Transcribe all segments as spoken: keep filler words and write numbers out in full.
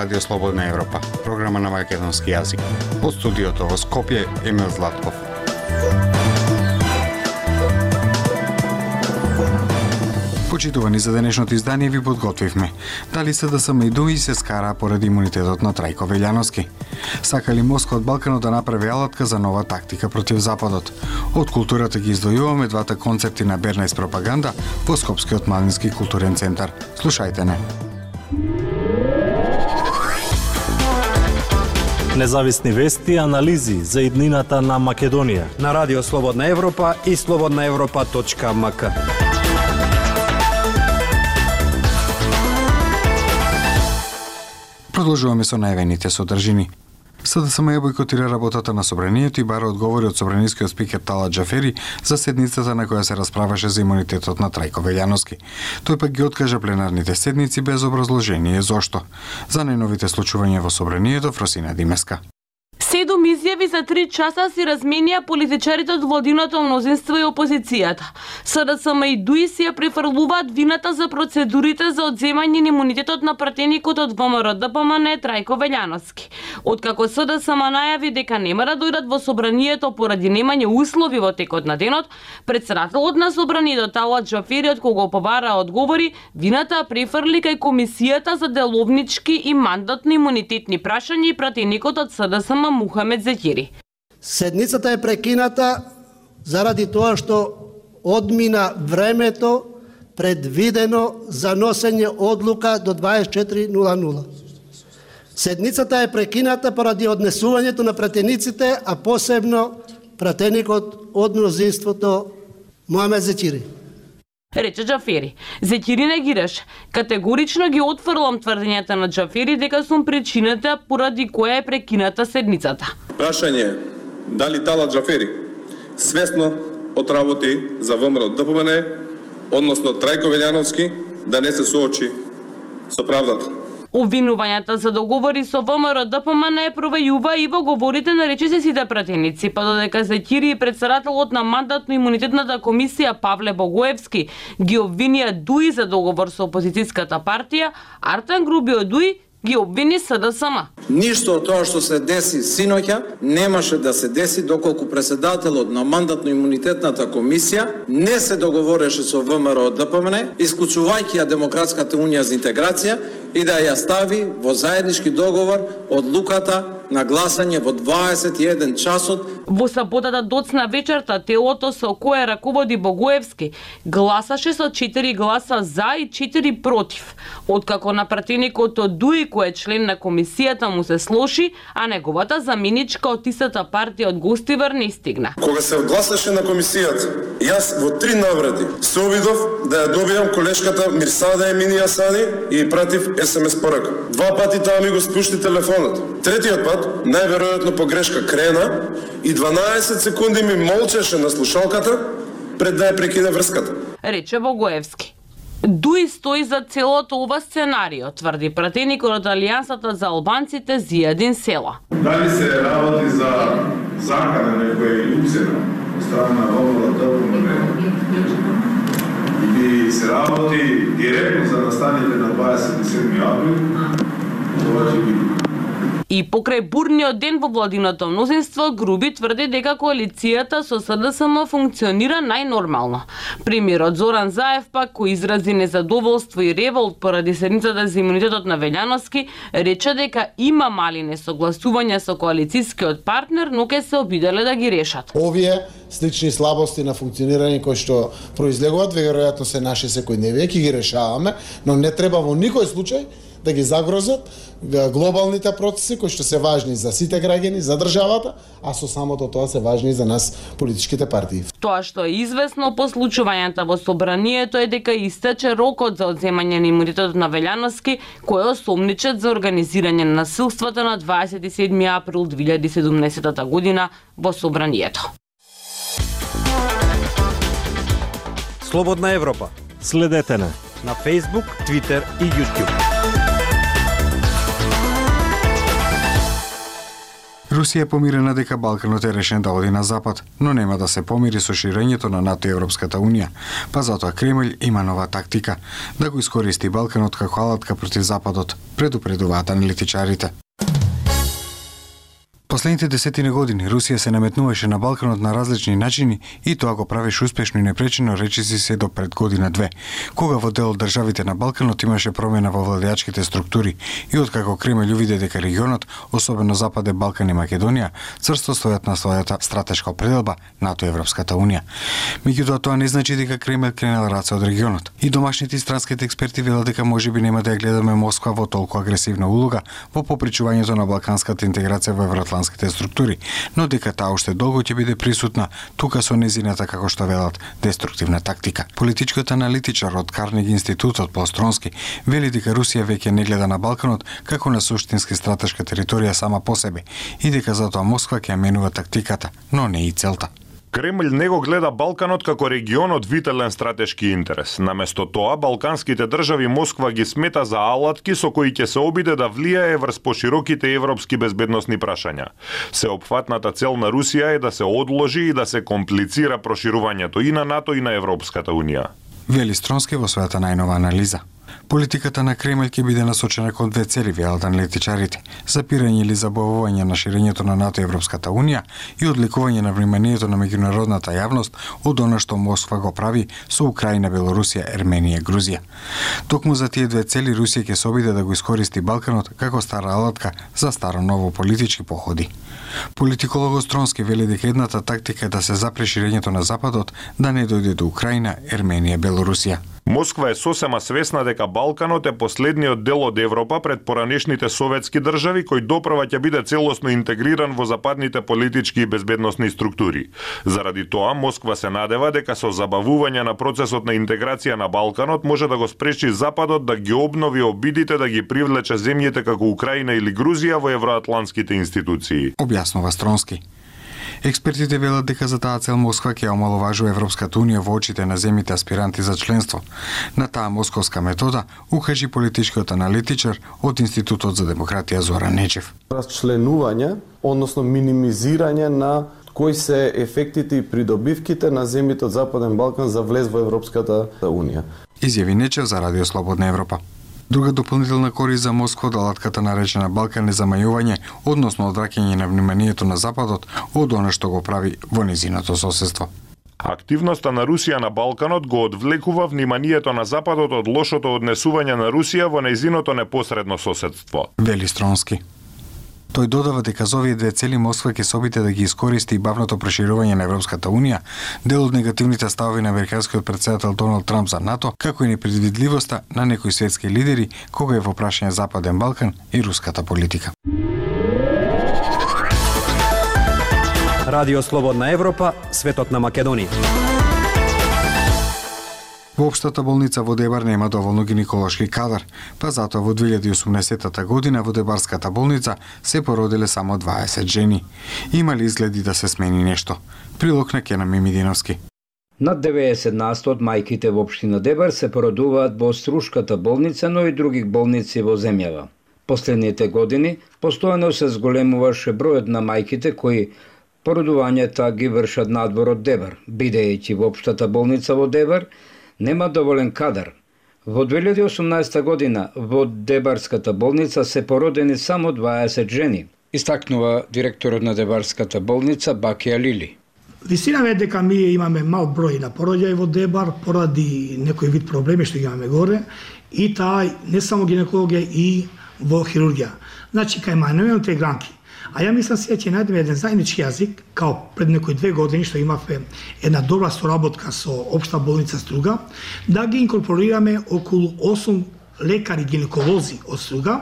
Радио Слободна Европа, програма на македонски јазик. Од студиото во Скопје, Емил Златков. Почитувани, за денешното издание ви подготвивме. Дали СДСМ и ДУИ се скара поради имунитетот на Трајко Велјановски? Сакали Москва од Балканот да направи алатка за нова тактика против Западот? Од културата ги издвојуваме двата концерти на Бернес пропаганда во Скопскиот младински културен центар. Слушајте не. Независни вести и анализи за иднината на Македонија на Радио Слободна Европа и слободна европа точка ем ка. Продолжуваме со најавените содржини. СДСМ ја бойкотира работата на собранието и бара одговори од собранискиот спикер Талат Џафери за седницата на која се расправаше за имунитетот на Трајко Велјановски. Тој пак ги откажа пленарните седници без образложение зошто. За најновите случувања во собранието, Фросина Димеска. Седум изјави за три часа си разменија политичарите од владиното мнозинство и опозицијата. СДСМ и ДУИ си ја префрлуваат вината за процедурите за одземање на имунитетот на пратеникот од ВМРО Д П М Н Трајко Велјановски. Откако СДСМ најави дека нема да дојдат во собранието поради немање услови во текот на денот, претседателот на собранието Талат Џафери, од кого побара одговори, вината префрли кај Комисијата за деловнички и мандатно имунитетни прашања и пратеникот од СДСМ Мухамед Зекири. Седницата е прекината заради тоа што одмина времето предвидено за носење одлука до дваесет и четири нула нула. Седницата е прекината поради однесувањето на пратениците, а посебно пратеникот од мнозинството Мухамед Зекири. Рече Џафери. Зекири негираш. Категорично ги отфрлам тврдењата на Џафери дека сум причината поради која е прекината седницата. Прашање дали Талат Џафери свесно отработи за ВМРО Д П М Н, односно Трајко Велјановски, да не се соочи со правдата. Обвинувањата за договори со ВМРО Д П М Н провејува и во говорите на речиси сите пратеници, па додека Зекири и претседателот на мандатно-имунитетната комисија Павле Богоевски ги обвинија ДУИ за договор со опозицијската партија, Артан Груби од ДУИ ги обвини СДСМ. Ништо од тоа што се деси синоќа немаше да се деси доколку претседателот на мандатно-имунитетната комисија не се договореше со ВМРО Д П М Н, исклучувајќи ја Демократската унија за интеграција и да ја стави во заеднички договор одлуката на гласање во дваесет и еден часот. Во саботата доцна вечерта телото со кое раководи Богоевски гласаше со четири гласа за и четири против. Откако на пратеникот од ДУИ, кој е член на комисијата, му се слоши, а неговата заменичка од истата партија од Гостивар не стигна. Кога се гласаше на комисијата, јас во три наврати се обидов да ја добијам колешката Мирсада Емини Асади и пратив ес ем ес порака. Два пати таа ми го спушти телефонот. Третиот пат, најверојатно по грешка, крена и дванаесет секунди ми молчеше на слушалката пред да ја прекине врската. Рече Богоевски. ДУИ стои за целото ова сценарио, тврди пратеникот од Алијансата за албанците Зијадин Села. Дали се работи за закана некоја уцена од страна на ВМРО Д П М Н и се работи директно за настаните на дваесет и седми април, тоа ќе биде. И покрај бурниот ден во владиното мнозинство, Груби тврди дека коалицијата со СДСМ функционира најнормално. Премиерот Зоран Заев пак, кој изрази незадоволство и револт поради седницата за имунитетот на Велјановски, рече дека има мали несогласувања со коалицијскиот партнер, но ќе се обиделе да ги решат. Овие слични слабости на функционирање кои што произлегуваат, веројатно се наши секојдневие, ќе ги решаваме, но не треба во никој случај да ги загрозат глобалните процеси кои што се важни за сите граѓани, за државата, а со самото тоа се важни за нас политичките партии. Тоа што е известно по случувањата во собранието е дека истече рокот за одземање на имунитетот на Велјановски, кој осомничат за организирање на насилствата на дваесет и седми април две илјади и седумнаесета година во собранието. Слободна Европа. Следете на на Facebook, Twitter и YouTube. Русија е помирена дека Балканот е решен да оди на запад, но нема да се помири со ширењето на НАТО и Европската унија, па затоа Кремљ има нова тактика да го искористи Балканот како алатка против западот, предупредуваат аналитичарите. Последните десетина години Русија се наметнуваше на Балканот на различни начини и тоа го правеше успешно и непречено, речиси се до пред година две, кога во дел од државите на Балканот имаше промена во владеачките структури и откако Кремљ увиде дека регионот, особено Западен Балкан и Македонија, црсто стојат на својата стратешка определба НАТО и Европската унија. Меѓутоа тоа не значи дека Кремљ кренел раце од регионот. И домашните и странските експерти велат дека можеби нема да ја гледаме Москва во толку агресивна улога во попречувањето на балканската интеграција во евроатлантските структури, но дека таа уште долго ќе биде присутна тука со незината, како што велат, деструктивна тактика. Политичкиот аналитичар од Карнеги институтот Постронски вели дека Русија веќе не гледа на Балканот како на суштински стратешка територија сама по себе и дека затоа Москва ќе ја менува тактиката, но не и целта. Кремљ не го гледа Балканот како регион од вителен стратешки интерес. Наместо тоа, балканските држави Москва ги смета за алатки со кои ќе се обиде да влијае врз пошироките европски безбедносни прашања. Сеопфатната цел на Русија е да се одложи и да се комплицира проширувањето и на НАТО и на Европската унија. Вели Стронски во својата најнова анализа. Политиката на Кремљ ќе биде насочена кон две цели, велат аналитичарите: запирање или забавување на ширењето на НАТО и Европската унија и одлекување на вниманието на меѓународната јавност од она што Москва го прави со Украина, Белорусија, Ерменија, Грузија. Токму за тие две цели Русија ќе се обиде да го искористи Балканот како стара алатка за старо-ново политички походи. Политикологот Стронски вели дека едната тактика е да се запре ширењето на Западот, да не дојде до Украина, Ерменија, Белорусија. Москва е сосема свесна дека Балканот е последниот дел од Европа пред поранешните советски држави кој допрва ќе биде целосно интегриран во западните политички и безбедносни структури. Заради тоа Москва се надева дека со забавување на процесот на интеграција на Балканот може да го спречи Западот да ги обнови обидите да ги привлече земјите како Украина или Грузија во евроатлантските институции. Објаснува Стронски. Експертите велат дека за таа цел Москва ќе омаловажува Европската унија во очите на земјите аспиранти за членство. На таа московска метода укажи политичкиот аналитичар од Институтот за демократија Зоран Нечев. Расчленување, односно минимизирање на кои се ефектите и придобивките на земјите од Западен Балкан за влез во Европската унија. Изјави Нечев за Радио Слободна Европа. Друга дополнителна корист за Москва од алатката наречена Балкан е замајување, односно одвраќање на вниманието на Западот од она што го прави во незиното соседство. Активноста на Русија на Балканот го одвлекува вниманието на Западот од лошото однесување на Русија во незиното непосредно соседство. Вели Стронски. Тој додава дека за овие две цели Москва ќе се обиде да ги искористи и бавното проширување на Европската унија, дел од негативните ставови на американскиот претседател Доналд Трамп за НАТО, како и непредвидливоста на некои светски лидери кога е во прашање Западен Балкан и руската политика. Радио Слободна Европа, светот на Македонија. Во општата болница во Дебар нема доволно гинеколошки кадар, па затоа во две илјади и осумнаесетта година во Дебарската болница се породиле само дваесет жени. Има ли изгледи да се смени нешто? Прилог на Кена Мимидиновски. Над деветдесет на сто од мајките во општина Дебар се породуваат во Струшката болница, но и други болници во земјава. Последните години постојано се зголемуваше бројот на мајките кои породувањата ги вршат надвор од Дебар, бидејќи во општата болница во Дебар нема доволен кадар. Во две илјади и осумнаесетта година во Дебарската болница се породени само дваесет жени, истакнува директорот на Дебарската болница Бакија Лили. Вистина е дека ми имаме мал број на пороѓаи во Дебар поради некој вид проблеми што ги имаме горе и таа не само гинекологија и во хирургија. Значи кај мајновите интегранти. А ја мислам се ќе најдеме еден заеднички јазик, као пред некои две години што имавме една добра соработка со општа болница Струга, да ги инкорпорираме околу осум лекари гинеколози од Струга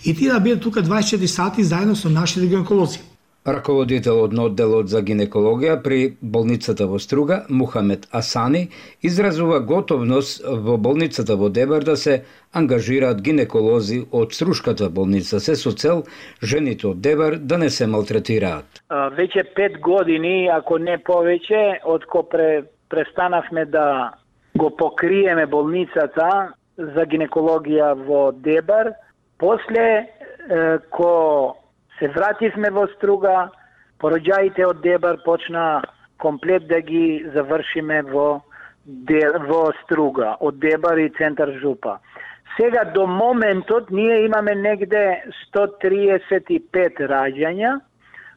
и тие да бидат тука дваесет и четири сати заедно со нашите гинеколози. Раководителот на одделот за гинекологија при болницата во Струга, Мухамед Асани, изразува готовност во болницата во Дебар да се ангажираат гинеколози од Струшката болница, се со цел жените од Дебар да не се малтретираат. Веќе пет години, ако не повеќе, откако пре, престанавме да го покриеме болницата за гинекологија во Дебар, после е, ко се вративме во Струга, пороѓаите од Дебар почна комплет да ги завршиме во, во Струга, од Дебар и центар Жупа. Сега до моментот ние имаме негде сто триесет и пет раѓања,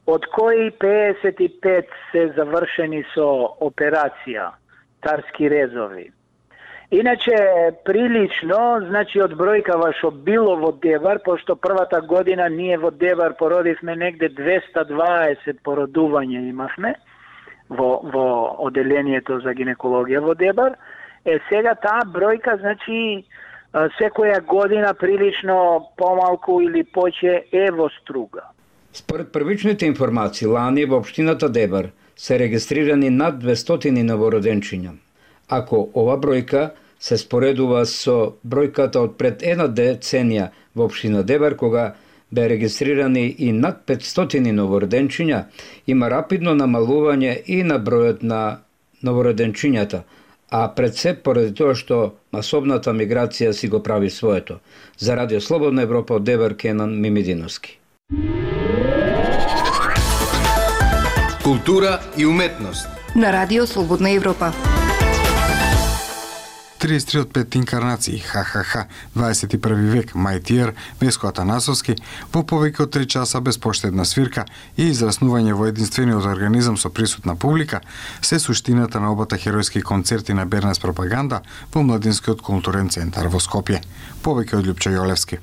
од кои пеесет и пет се завршени со операција, тарски резови. Иначе, прилично, значи од бројкава што било во Дебар, пошто првата година ние во Дебар породивме негде двеста дваесет породувања имавме во, во оделението за гинекологија во Дебар. Е, сега таа бројка, значи, секоја година прилично помалку или повеќе е во Струга. Според првичните информации, лани во општината Дебар се регистрирани над двестотини новороденчиња. Ако ова бројка се споредува со бројката од пред една деценија во општина Дебар, кога бе регистрирани и над петстотини новороденчиња, има рапидно намалување и на бројот на новороденчињата, а пред се поради тоа што масовната миграција си го прави своето. За Радио Слободна Европа од Дебар, Кенан Мимидиновски. Култура и уметност на Радио Слободна Европа. триесет и три од пет инкарнации, ха-ха-ха, дваесет и први век, Мајтиер, Веско Атанасовски, во повеќе од три часа безпоштедна свирка и израснување во единствениот организам со присутна публика, се суштината на обата херојски концерти на Бернес Пропаганда во Младинскиот културен центар во Скопје. Повеќе од Љупчо Јолевски.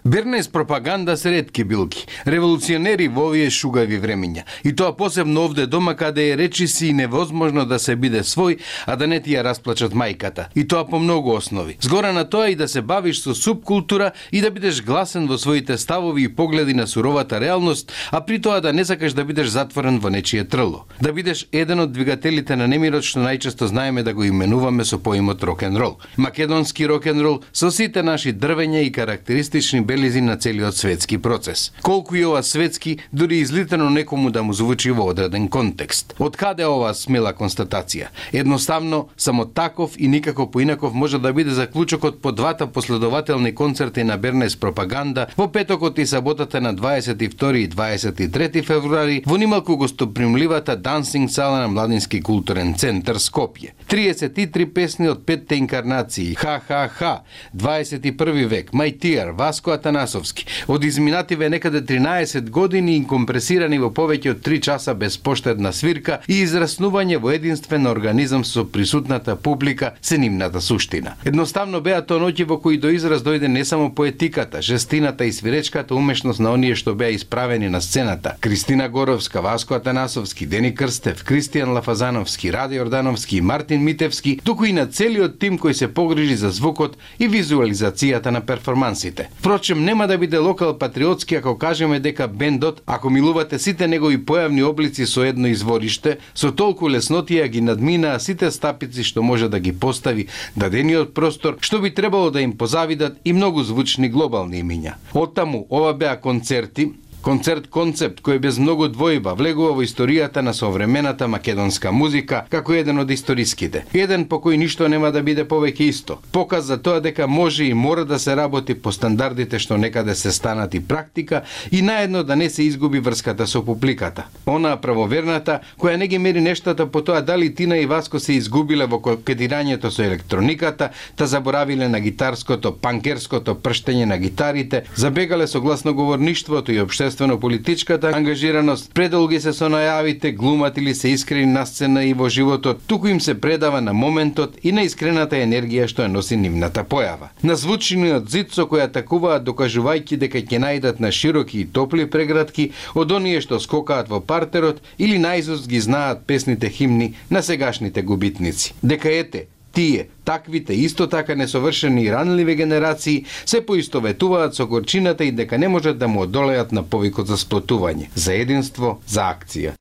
Бернес Пропаганда се ретки билки, револуционери во овие шугави времиња. И тоа посебно овде дома, каде е речиси и невозможно да се биде свој, а да не ти ја расплачат мајката. И тоа по многу основи. Згора на тоа и да се бавиш со субкултура и да бидеш гласен во своите ставови и погледи на суровата реалност, а при тоа да не сакаш да бидеш затворен во нечие трло. Да бидеш еден од двигателите на немирот што најчесто знаеме да го именуваме со поимот рок-н-рол. Македонски рок-н-рол со сите наши дрвења и карактеристични белези на целиот светски процес. Колку и ова светски, дури излитено некому да му звучи во одреден контекст. Од каде ова смела констатација? Едноставно, само таков и никако поинаков може да биде заклучокот по двата последователни концерти на Бернес Пропаганда во петокот и саботата на дваесет и втори и дваесет и трети февруари во нималку гостопримливата дансинг сала на Младински културен центар Скопје. триесет и три песни од петте инкарнации, ха-ха-ха, дваесет и први век, Мајтиер, Васко Атанасовски, од изминативе некаде тринаесет години и компресирани во повеќе од три часа безпоштедна свирка и израснување во единствен организам со присутната публика се нивната суштина. Едноставно беа тоа ноќи во кои до израз дојде не само поетиката, жестината и свиречката умешност на оние што беа исправени на сцената. Кристина Горовска, Васко Атанасовски, Дени Крстев, Кристијан Лафазановски, Раде Јордановски и Мартин Митевски, туку и на целиот тим кој се погрижи за звукот и визуализацијата на перформансите. Впрочем, нема да биде локал патриотски ако кажеме дека бендот, ако милувате сите негови појавни облици со едно извориште, со толку леснотија ги надминаа сите стапици што може да ги постави дадениот простор, што би требало да им позавидат и многу звучни глобални имиња. Оттаму, ова беа концерти, концерт-концепт кој без многу двојба влегува во историјата на современата македонска музика како еден од историските. Еден по кој ништо нема да биде повеќе исто. Показ за тоа дека може и мора да се работи по стандардите што некаде се станат и практика и наедно да не се изгуби врската со публиката. Онаа правоверната која не ги мери нештата по тоа дали Тина и Васко се изгубиле во кокетирањето со електрониката, та заборавиле на гитарското, панкерското прштење на гитарите, забегале со гласноговорништвото и обште политичката ангажираност, предолги се со најавите, глумат или се искрени на сцена и во животот, туку им се предава на моментот и на искрената енергија што ја носи нивната појава. На звучниот зид со кој атакуваат докажувајќи дека ќе најдат на широки и топли прегратки од оние што скокаат во партерот или наизуст ги знаат песните химни на сегашните губитници. Дека ете, тие, таквите, исто така несовршени и ранливи генерации се поистоветуваат со горчината и дека не можат да му одолеат на повикот за сплотување, за единство, за акција.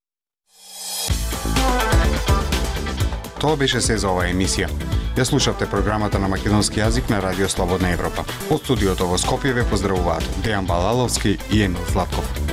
Тоа беше се за оваа емисија. Ја слушавте програмата на македонски јазик на Радио Слободна Европа. Од студиото во Скопје ве поздравуваат Дејан Балаловски и Емил Златков.